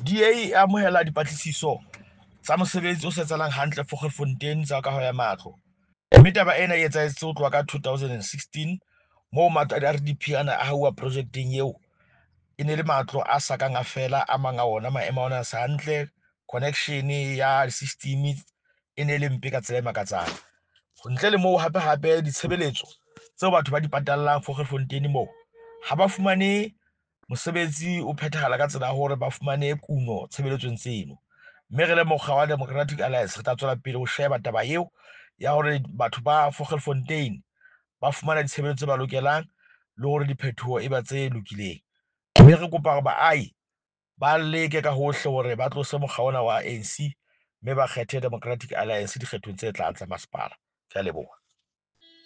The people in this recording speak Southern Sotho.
DA e amohela dipatlisiso tsa mosebetsi o sa etsahalang hantle Vogelfontein tsa kaho ya matlo. Mme taba ena e etsahetse ho tloha ka 2016 moo matlo a di-RDP ana a hauwa projekteng eo. E ne le matlo a sa kang a fela, a mang a ona maemo a ona a sa hantle, connection ya system e ne le mpe ka tsela e makatsang. Ntle le moo, hape hape ditshebeletso tseo batho ba di patallang Vogelfontein moo ha ba fumane mosebetsi o phethahala ka tsela ya hore ba fumane kuno tshebeletsong tseno. Mme re le mokga wa Democratic Alliance re tla tswela pele ho sheba taba eo ya hore batho ba Vogelfontein ba fumana ditshebeletso tse ba lokelang le hore diphetoho e ba tse lokileng. Mme re kopa hore baahi ba leke ka hohle hore ba tlose mokga ona wa ANC mme ba kgethe Democratic Alliance dikgethong tse tlang tsa masepala. Ke a leboha.